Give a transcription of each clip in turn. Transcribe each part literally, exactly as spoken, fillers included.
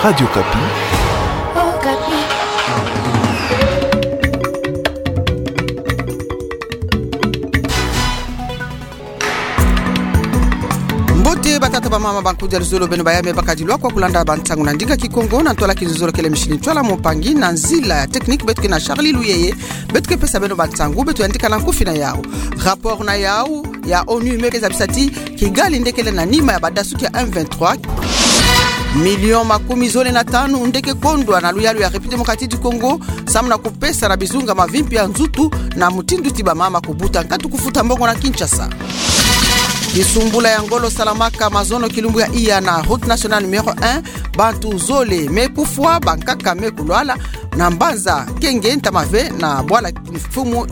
Radio Okapi. Mbote batata, bamama, bankudia, luzolo, beno bayame bakadi lwakwa kulanda bansangu na ndinga Kikongo, na ntwala kinzuzolo kele Micheline Ntwala, mpangi na nzila ya technique beto ke na Charlie Luyeye. Beto ke pesa beno bansangu, beto yandika na nkufi na yau. Rapport na yau ya onu me zabisa ti Kigali nde kele na nima ya badasuki ya M vingt-trois. Miliyo makumi zole na tanu nde ke kondwa na luyalu ya République Démocratique du Congo, samu na kupesa na bizunga mavimpi ya nzutu, na mutindu ti bamama kubuta nkatu kufuta mbongo na Kinshasa. Kisumbula ya ngolo salamaka mazono kilumbu ya iya na route nationale numéro un, bantu zole me kufwa, bankaka me kulwala, na mbanza Kenge, ntama ve na bwala Mfumu.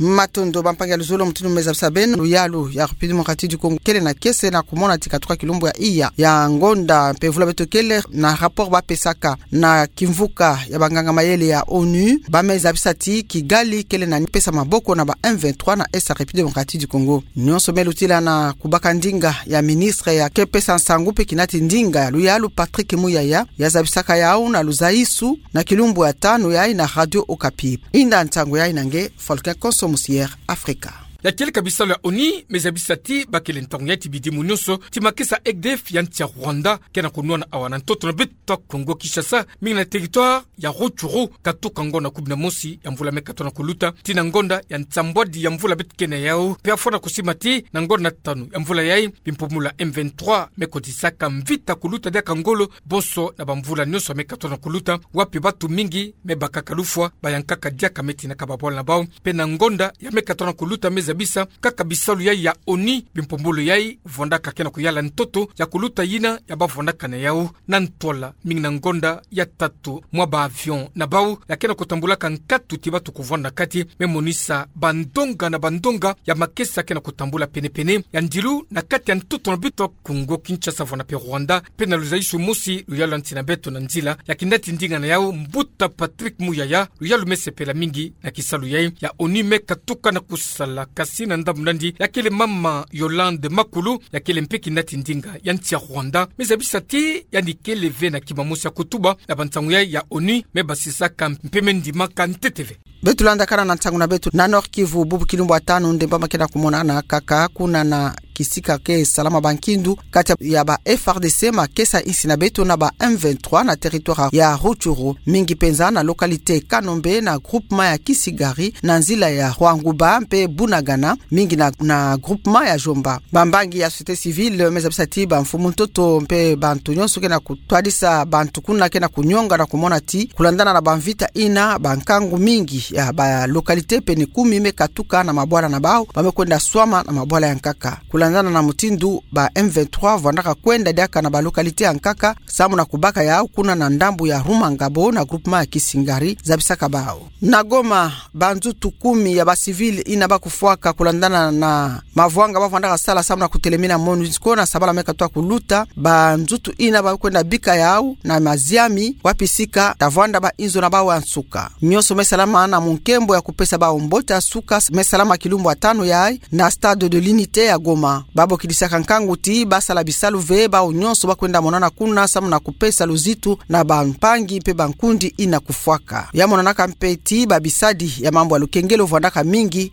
Matondo bampangi ya luzolo, mutindu me zabisa beno, luyalu ya République Démocratique du Congo kele na kiese na kumona ti katuka kilumbu ya iya ya ngonda mpe vula beto kele, na rapport bapesaka na kimvuka ya banganga mayele ya onu, ba me zabisa ti Kigali kele na pesa maboko na ba M vingt-trois na Est ya République Démocratique du Congo. Nyonso me lutila na kubaka ndinga ya ministre ya ke pesa nsangu mpe kinati ndinga ya luyalu, Patrick Muyaya, ya zabisaka yau na luzaisu na kilumbu ya tanu yai na Radio Okapi. Inda nsangu yai na nge Volcan Konso Musier Afrika. Ya kieleka bisalu ya onu me zabisa ti bakele ntangu yai ti bidimu nyonso ti makesa E D F ya nsi ya Rwanda ke na kunwana awa na ntoto na beto Kongo Kinshasa, mingi na territoire ya Rutshuru, katuka ngonda kumi na mosi ya mvula me katona kuluta tii na ngonda ya nsambwadi ya mvula beto ke na yau, mpe afwana kusima ti na ngonda tanu ya mvula yai, bimpumbulu ya M vingt-trois me kotisaka mvita kuluta diaka ngolo bonso na bamvula nyonso me katona kuluta, wapi bantu mingi me bakaka lufwa, bayankaka diaka me tinaka babwala na bau. Mpe na ngonda ya me katona kuluta me zabisa kaka bisalu yai ya onu, bimpumbulu yai vwandaka ke na kuyala ntoto ya kuluta yina ya bavwandaka na yau, na ntwala mingi na ngonda ya tatu mwa ba avion na bau ya ke na kutambulaka nkatu ti bantu kuvwanda na kati, me monisa bandonga na bandonga ya makesa ke na kutambula penepene ya ndilu na kati ya ntoto na beto Kongo Kinshasa vwanda mpe Rwanda, mpe na luzaisu mosi luyalu ya nsi na beto na nzila ya kinati ndinga na yau, mbuta Patrick Muyaya, luyalu me sepela mingi na kisalu yai ya onu me katuka na kusala. Kasi na ndambu nandi ya kele mama Yolande Makulu, ya kele mpe kinati ndinga ya nsi ya Rwanda, me zabisa ti yandi kele ve na kima mosi ya kutuba na bansangu yai ya onu, me basisaka mpe me ndimaka ntete ve. Beto landakana na nsangu na beto. Na Nord-Kivu, bubu kilumbu ya tanu nde mbamba ke na kumonana kaka kuna na kisika ke salama bankindu kati ya ba F A R D C, makesa insi na beto na ba M vingt-trois na territoire ya Rutshuru, mingi mpenza na localité Kanombe na groupement ya Kisigari na nzila ya Rwanguba mpe Bunagana, mingi na, na groupement ya Jomba. Bambangi ya société civile me zabisa ti bamfumu ntoto mpe bantu nyonso ke na kutwadisa bantu kuna ke na kunyonga na kumona ti kulandana na bamvita yina, bankangu mingi ya ba localité pene kumi me katuka na mabwala na bau, ba me kwenda swama na mabwala ya nkaka. Kulandana na mutindu ba M vingt-trois vwandaka kwenda diaka na ba localité ya nkaka, samu na kubaka yau kuna na ndambu ya Rumangabo na groupement ya Kisigari, zabisaka bau. Na Goma, banzutu kumi ya ba civil yina ba kufwaka kulandana na mavwanga ba vwandaka sala samu na kutelemina MONUSCO na sabala me katona kuluta, banzutu yina ba kwenda bika yau na maziami wapi sika ta vwanda ba inzo na bau ya nsuka. Nyonso me salama na munkembo ya kupesa bau mbote ya suka, me salama kilumbu ya tanu yai na Stade de l'Unité ya Goma. Ba bokidisaka nkangu ti ba sala bisalu ve, bau nyonso ba kwenda monana kuna samu na kupesa luzitu na bampangi mpe bankundi yina kufwaka. Ya monanaka mpe ti babisadi ya mambu ya lukengelo vwandaka mingi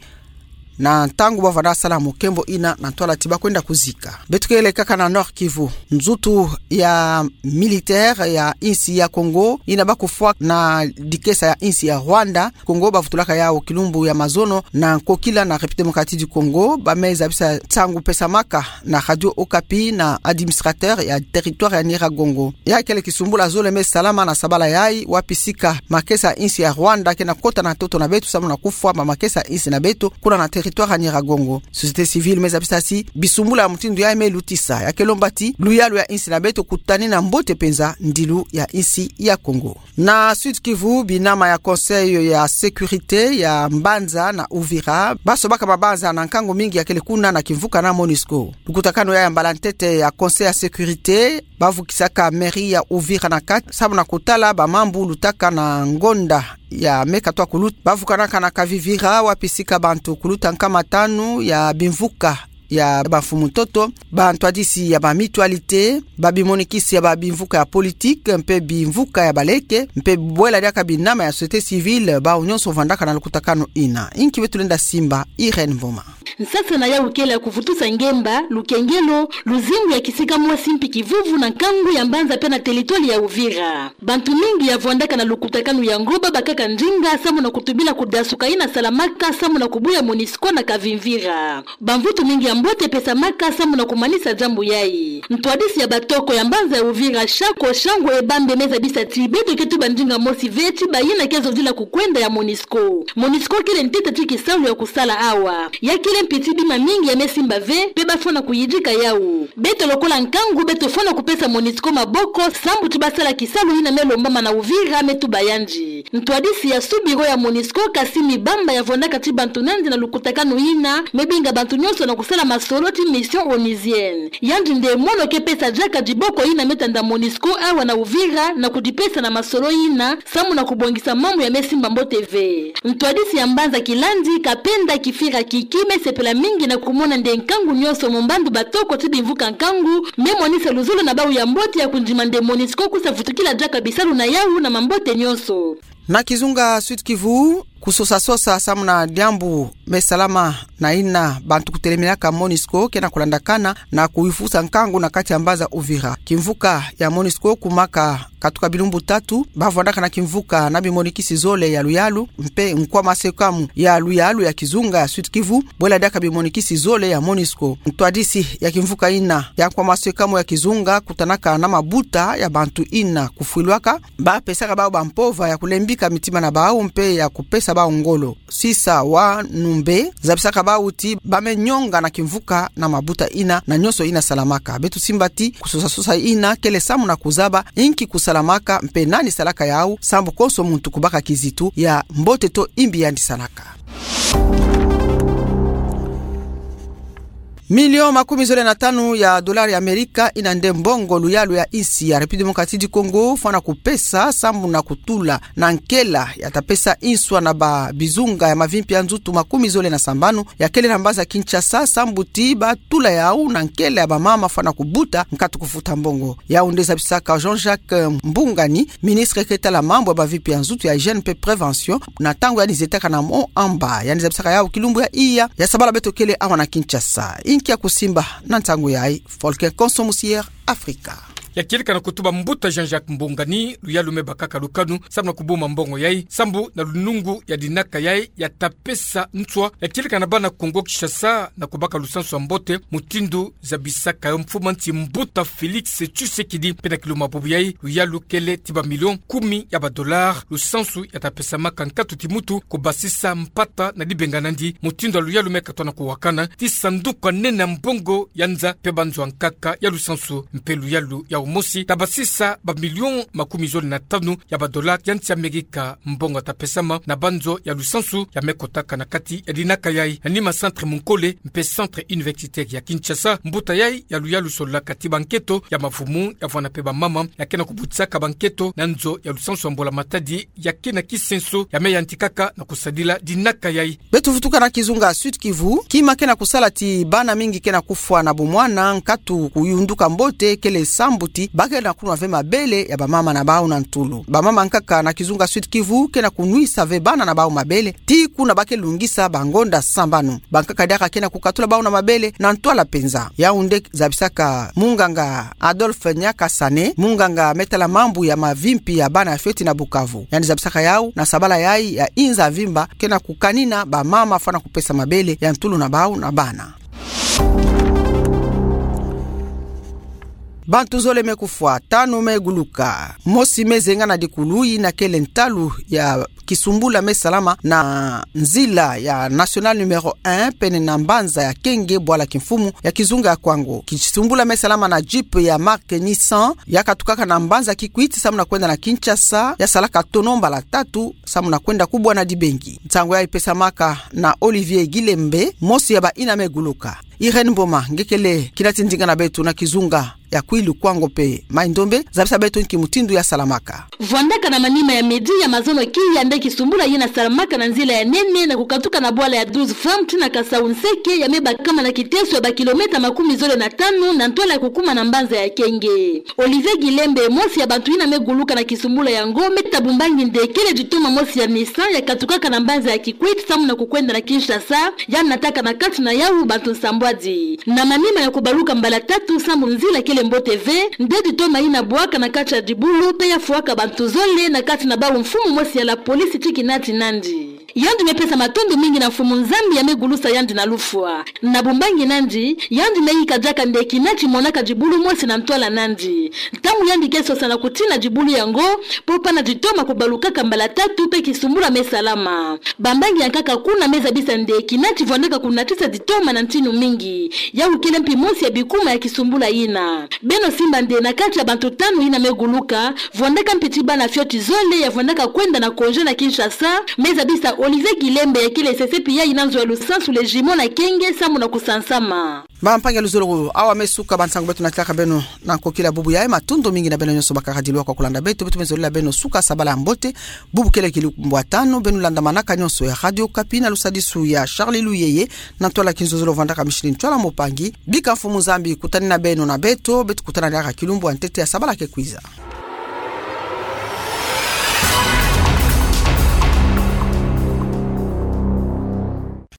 na ntangu ba vwanda sala munkembo yina na ntwala ti ba kwenda kuzika. Beto kele kaka na Nord-Kivu. Nzutu ya militaire ya insi ya Congo yina ba kufwa na dikesa ya insi ya Rwanda, Congo bavutulaka yau kilumbu ya mazono na nkokila na République Démocratique du Congo, ba me zabisa nsangu pesamaka na Radio Okapi na administrateur ya territoire ya Nyiragongo. Ya kele kisumbula zole me salama na sabala yai, wapi sika makesa insi ya Rwanda ke na kota na ntoto na beto samu na kufwa ba makesa insi na beto kuna na territoire ya Nyiragongo. Société civile me zabisa ti bisumbula ya mutindu yai me lutisa, ya ke lomba ti luyalu ya insi na beto kutanina mbote mpenza ndilu ya insi ya Congo. Na Sud-Kivu, binama ya Conseil ya sécurité ya mbanza na Uvira ba sobaka mabanza na nkangu mingi ya kele kuna na kimvuka na MONUSCO. Lukutakanu ya mbala ntete ya Conseil ya sécurité, ba vukisaka mairie ya Uvira na kati samu na kutala ba mambu lutaka na ngonda ya me katona kuluta. Ba vukanaka na Kavivira, wapi sika bantu kuluta nkama tanu ya bimvuka ya bamfumu ntoto, bantwadisi ya ba mutualité, babimonikisi ya babimvuka ya politique, mpe bimvuka ya baleke, mpe bwela diaka binama ya société civile, bawu nyonso vwandaka na lukutakanu ina. Inki beto lenda simba, Irène Mvoma. Nsasana yawu kele ya kuvutusa ngemba, lukengelo, luzingu ya kisika mosi mpi kivuvu na nkangu ya mbanza mpe na teritwali ya Uvira. Bantu mingi ya vwandaka na lukutakanu yango babakaka ndinga samu na kutubila kudasuka ina salamaka samu na kubuya MONUSCO na kavimvira. Bamvutu mingi ya mbote pesamaka samu na kumanisa diambu yayi. Ntwadisi ya batoko ya mbanza ya Uvira, Shako Shangu Ebambe, me zabisa ti beto ke tuba ndinga mosi ve ti bayina ke zodila kukwenda ya MONUSCO. MONUSCO kele ntete ti kisalu ya kusala awa. Ya kele mpi ti bima mingi ya me simba ve, mpe bafwana kuyidika yawu. Beto lokola nkangu, beto fwana kupesa MONUSCO maboko, sambu ti basala kisalu yina me lombama na Uvira, me tuba yandi. Ntwadisi ya sous-bureau ya MONUSCO, Kassim Bamba, ya vwandaka ti bantu nandi na lukutakanu yina, me binga bantu nyonso na kusala masolo ti mission onusienne. Yandi nde mono ke pesa diaka diboko yina me tanda MONUSCO awa na Uvira, na kudipesa na masolo yina, samu na kubongisa mambu ya me simba mbote ve. Ntwadisi ya mbanza Kilandi, Kapenda Kifira Kiki, me sepela mingi na kumona nde nkangu nyonso, mu mbandu batoko ti bimvuka nkangu, me monisa luzolo na bawu ya mbote ya kundima nde MONUSCO kusa vutukila diaka bisalu na yawu na mambote nyonso. Na kizunga Sud-Kivu, kusosa-sosa samu na diambu me salama na yina bantu kutelemelaka MONUSCO ke na kulandakana na kuyifusa nkangu na kati ya mbanza Uvira. Kimvuka ya MONUSCO kumaka katuka bilumbu tatu, bavwandaka na kimvuka na bimonikisi zole ya luyalu, mpe nkwama sekamu ya luyalu ya kizunga ya Sud-Kivu, bwela diaka bimonikisi zole ya MONUSCO. Ntwadisi ya kimvuka yina ya nkwama sekamu ya kizunga kutanaka na mabuta ya bantu yina kufwilwaka, bapesaka bawu bampova ya kulembika mitima na bawu mpe ya kupesa bawu ngolo. Sisa wa Numbe zabisaka bawu ti ba me nyonga na kimvuka na mabuta yina na nyonso yina salamaka. Beto simba ti kusosa-sosa yina kele samu na kuzaba inki kusalamaka mpe nani salaka yawu, sambu konso muntu kubaka kizitu ya mbote to imbi yandi salaka. Milion makumi zole na tanu ya dolari ya Amerika, yina nde mbongo luyalu ya insi ya République Démocratique du Congo fwana kupesa sambu na kutula na nkela ya ta pesa nswa na babizunga ya mavimpi ya nzutu makumi zole na sambanu ya kele na mbanza Kinshasa, sambu ti batula yawu na nkela ya bamama fwana kubuta nkatu kufuta mbongo. Yawu nde zabisaka Jean-Jacques Mbungani, ministre ke tala mambu ya mavimpi ya nzutu, ya hygiène mpe prévention, na ntangu yandi zetaka na Mont Amba. Yandi zabisaka yawu kilumbu ya iya ya sabala beto kele awa na Kinshasa. Inki ya kusimba na nsangu yayi? Volker Konso, Musière Afrika. Ya kieleka na kutuba mbuta Jean-Jacques Mbungani, luyalu me bakaka lukanu samu na kubuma mbongo yayi, sambu na lunungu ya dinaka yayi ya ta pesa nswa, ya kieleka na bana Kongo Kinshasa na kubaka lusansu ya mbote, mutindu zabisaka yo mfumu a nsi mbuta Félix Tshisekedi. Mpe na kilumbu bubu yayi, luyalu kele ti bamilion kumi ya badolari, lusansu ya ta pesamaka nkatu ti mutu kubasisa mpata na dibenga nandi, mutindu ya luyalu me katwa na kuwakana ti sanduku ya nene ya mbongo ya nza mpe banzo ya nkaka ya lusansu. Mpe luyalu yawu mosi ta basisa bamilion makumi zole na tanu ya badolari ya nsi Amerika, mbongo ya ta pesama na banzo ya lusansu ya me kotaka na kati ya dinaka yayi. Na nima centre Munkole mpe centre universitaire ya Kinshasa, mbuta yayi ya luyalu sololaka ti banketo ya mavumu ya vwanda mpe bamama ya ke na kubutisaka banketo na nzo ya lusansu ya mbula-matadi ya ke na kisenso ya me yantikaka na kusadila dinaka yayi. Beto vutuka na kizunga Sud-Kivu. Kima ke na kusala ti bana mingi ke na kufwa na bomwana nkatu kuyunduka mbote kele sambu ti ba ke na kunwa ve mabele ya bamama na bawu na ntulu. Bamama nkaka na kizunga Sud-Kivu ke na kunwisa ve bana na bawu mabele ti kuna ba ke lungisa bangonda sambanu. Bankaka diaka ke na kukatula bawu na mabele na ntwala mpenza. Yawu nde zabisaka munganga Adolphe Nyakasane, munganga me tala mambu ya mavimpi ya bana ya fioti na Bukavu. Yandi zabisaka yawu na sabala yayi ya inza mvimba ke na kukanina bamama fwana kupesa mabele ya ntulu na bawu na bana. Bantu zole me kufwa, tanu me guluka, mosi me zenga na dikulu. Yina kele ntalu ya kisumbula me salama na nzila ya nationale numéro un, pene na mbanza ya Kenge, bwala kimfumu ya kizunga ya Kwango. Kisumbula me salama na Jeep ya marque Nissan, ya katukaka na mbanza Kikwit samu na kwenda na Kinshasa, ya salaka tonneau mbala tatu samu na kwenda kubwa na dibengi. Nsangu yayi pesamaka na Olivier Gilembe, mosi ya bayina me guluka. Irène Mboma, nge kele kinati ndinga na beto na kizunga ya Kwilu, Kwango mpe Mai-Ndombe, zabisa beto nki mutindu yasalamaka. Vwandaka na manima ya midi ya mazono kiya nde kisumbula yina salamaka na nzila ya nene na kukatuka na bwala ya douze femmes tii na Kasau-Nseke, ya me bakama na kiteso ya bakilomètre makumi zole na tanu na ntwala ya kukuma na mbanza ya Kenge. Olivier Guilembe, mosi ya bantu yina me guluka na kisumbula yango, me tabumbangi nde kele ditoma mosi ya Nissan ya katukaka na mbanza ya Kikwit samu na kukwenda na Kinshasa, ya nataka na kati na yawu bantu nsambwadi. Na manima ya kubaluka mbala tatu samu nzila kele mbote ve, nde ditoma yina bwaka na kati ya dibulu mpe ya fwaka bantu zole na kati na bawu mfumu mosi ya la police tii kinati nandi. Yandi me pesa matondo mingi na Mfumu Nzambi ya me gulusa yandi na lufwa. Na bumbangi nandi, yandi me yika diaka nde kinati monaka dibulu mosi na ntwala nandi. Ntangu yandi ke sosa na kutina dibulu yango, po pana ditoma kubalukaka mbala tatu mpe kisumbula me salama. Bambangi ya nkaka kuna me zabisa nde kinati vwandaka kunatisa ditoma na ntinu mingi. Yawu kele mpi mosi ya bikuma ya kisumbula yina. Beno simba nde na kati ya bantu tanu yina me guluka, vwandaka mpi tii bana fioti zole ya vwandaka kwenda na congé na Kinshasa, me zabisa Olivier Guilembe ya kele sese pia yina nzo ya lusansu, les jumeaux na Kenge, samu na kusansama. Bampangi ya luzolo, awa me suka bansangu beto natilaka beno na nkokila bubu yayi. Matondo mingi na beno nyonso bakaka dilwa kwa kulanda beto. Beto me zolila beno suka sabala ya mbote. Bubu kele kilumbu ya tanu, beno landamanaka nyonso ya Radio Okapi na lusadisu ya Charles Luyeye, na ntwala kinzozolo vwandaka mishini ntwala mbopangi. Bika Mfumu Nzambi kutanina beno na beto, beto kutana diaka kilumbu ya ntete ya sabala ke kwiza.